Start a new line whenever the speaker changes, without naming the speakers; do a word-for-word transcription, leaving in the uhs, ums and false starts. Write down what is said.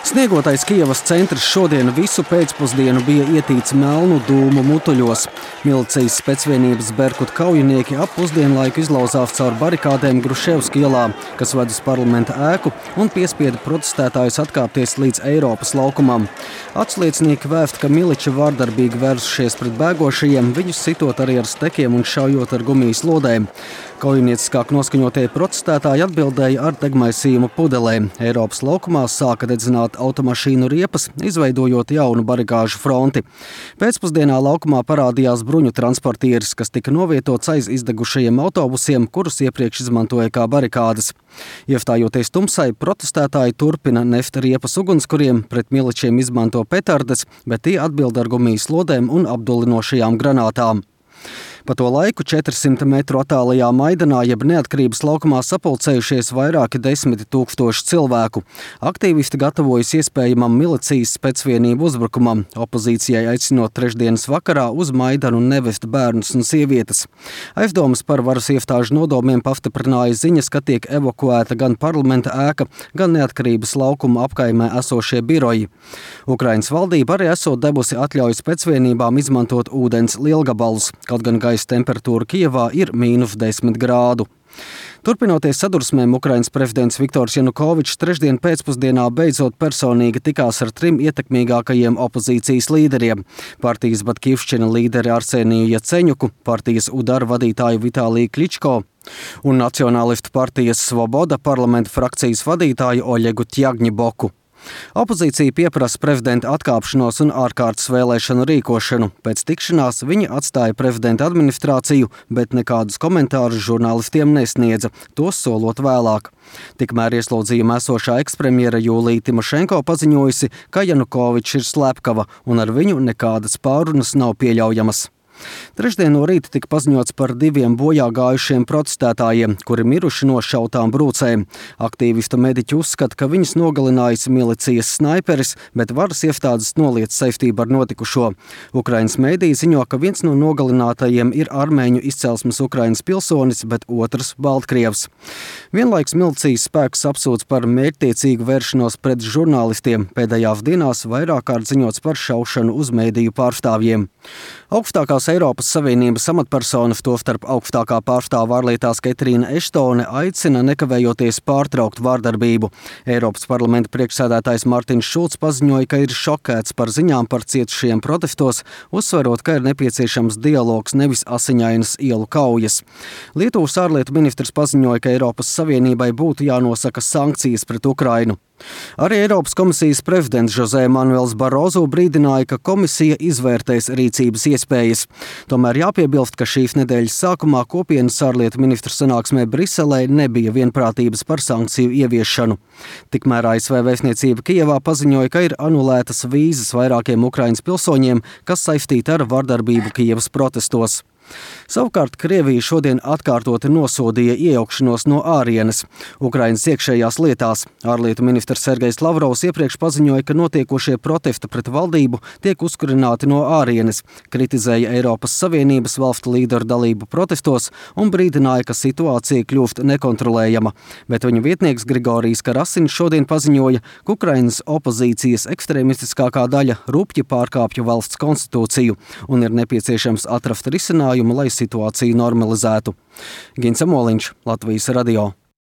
Sniegotais Kijevas centrs šodien visu pēcpusdienu bija ietīts melnu dūmu mutuļos. Milicijas specvienības Berkut kaujinieki ap pusdienlaiku izlauzās caur barikādēm Gruševska ielā, kas ved uz parlamenta ēku, un piespieda protestētājus atkāpties līdz Eiropas laukumam. Atsliecinieki vēst, ka miliči vārdarbīgi vērsušies pret bēgošajiem, viņus sitot arī ar stekiem un šaujot ar gumijas lodēm. Kaujinieciskāk noskaņotie protestētāji atbildēja ar degmaisījumu pudelēm. Eiropas laukumā sāka dedzināt automašīnu riepas, izveidojot jaunu barikāžu fronti. Pēcpusdienā laukumā parādījās bruņu transportieris, kas tika novietots aiz izdegušajiem autobusiem, kurus iepriekš izmantoja kā barikādes. Iestājoties tumsai, protestētāji turpina neft riepas ugunskuriem, pret miličiem izmanto petardes, bet tie atbild ar gumijas lodēm un apdulinošajām granātām. Pa to laiku četrsimt metru attālajā Maidanā jeb Neatkarības laukumā sapulcējušies vairāki desmiti tūkstoši cilvēku. Aktīvisti gatavojas iespējamam milicijas specvienību uzbrukumam, opozīcijai aicinot trešdienas vakarā uz Maidanu nevest bērnus un sievietes. Aizdomas par varas iestāžu nodomiem pastiprināja ziņas, ka tiek evakuēta gan parlamenta ēka, gan Neatkarības laukuma apkaimē esošie biroji. Ukrainas valdība arī esot devusi atļauju specvienībām izmantot ūdens lielgabalus, kaut gan gaisa temperatūra Kijevā ir mīnus desmit grādu. Turpinoties sadursmēm, Ukrainas prezidents Viktors Janukovičs trešdien pēcpusdienā beidzot personīgi tikās ar trim ietekmīgākajiem opozīcijas līderiem – partijas Batkivšķina līderi Arseniju Jaceņuku, partijas Udar vadītāju Vitāliju Kličko un Nacionālistu partijas Svoboda parlamenta frakcijas vadītāju Oļegu Tjagņiboku. Opozīcija pieprasa prezidenta atkāpšanos un ārkārtas vēlēšanu rīkošanu. Pēc tikšanās viņi atstāja prezidenta administrāciju, bet nekādus komentārus žurnālistiem nesniedza, tos solot vēlāk. Tikmēr ieslodzījumā esošā ekspremjera Jūlija Timošenko paziņojusi, ka Janukovičs ir slepkava un ar viņu nekādas pārunas nav pieļaujamas. Trešdien no rīta tika paziņots par diviem bojā gājušiem protestētājiem, kuri miruši no šautām brūcēm. Aktīvistu mediķi uzskata, ka viņus nogalinājis milicijas snaiperis, bet varas iestādes noliedz saistību ar notikušo. Ukrainas mēdīji ziņo, ka viens no nogalinātajiem ir armēņu izcelsmes Ukrainas pilsonis, bet otrs Baltkrievs. Vienlaiks milicijas spēks apsūdz par mērķtiecīgu vēršanos pret žurnālistiem. Pēdējās dienās vairāk kārt ziņots par šaušanu uz mēdīju pārstāvjiem. Augstākās Eiropas Savienības amatpersonas, tostarp augstākā pārstāve ārlietās Ketrīna Eštone, aicina nekavējoties pārtraukt vārdarbību. Eiropas parlamenta priekšsēdētājs Martins Šulcs paziņoja, ka ir šokēts par ziņām par cietušajiem protestos, uzsverot, ka ir nepieciešams dialogs, nevis asiņainas ielu kaujas. Lietuvas ārlietu ministrs paziņoja, ka Eiropas Savienībai būtu jānosaka sankcijas pret Ukrainu. Arī Eiropas komisijas prezidents José Manuels Barozo brīdināja, ka komisija izvērtēs rīcības iespējas. Tomēr jāpiebilst, ka šīs nedēļas sākumā kopienas ārlietu ministru sanāksmē Briselē nebija vienprātības par sankciju ieviešanu. Tikmēr A S V vēstniecība Kijevā paziņoja, ka ir anulētas vīzas vairākiem Ukrainas pilsoņiem, kas saistīti ar vardarbību Kijevas protestos. Savukārt Krievija šodien atkārtoti nosodīja iejaukšanos no ārienes Ukrainas iekšējās lietās. Ārlietu ministrs Sergejs Lavrovs iepriekš paziņoja, ka notiekošie protesti pret valdību tiek uzkurināti no ārienes, kritizēja Eiropas Savienības valstu līderu dalību protestos un brīdināja, ka situācija kļūst nekontrolējama. Bet viņa vietnieks Grigorijs Karasins šodien paziņoja, ka Ukrainas opozīcijas ekstrēmistiskākā daļa rupji pārkāpja valsts konstitūciju un ir nepieciešams atrast risinājumu, lai situāciju normalizētu. Gins Amoliņš, Latvijas radio.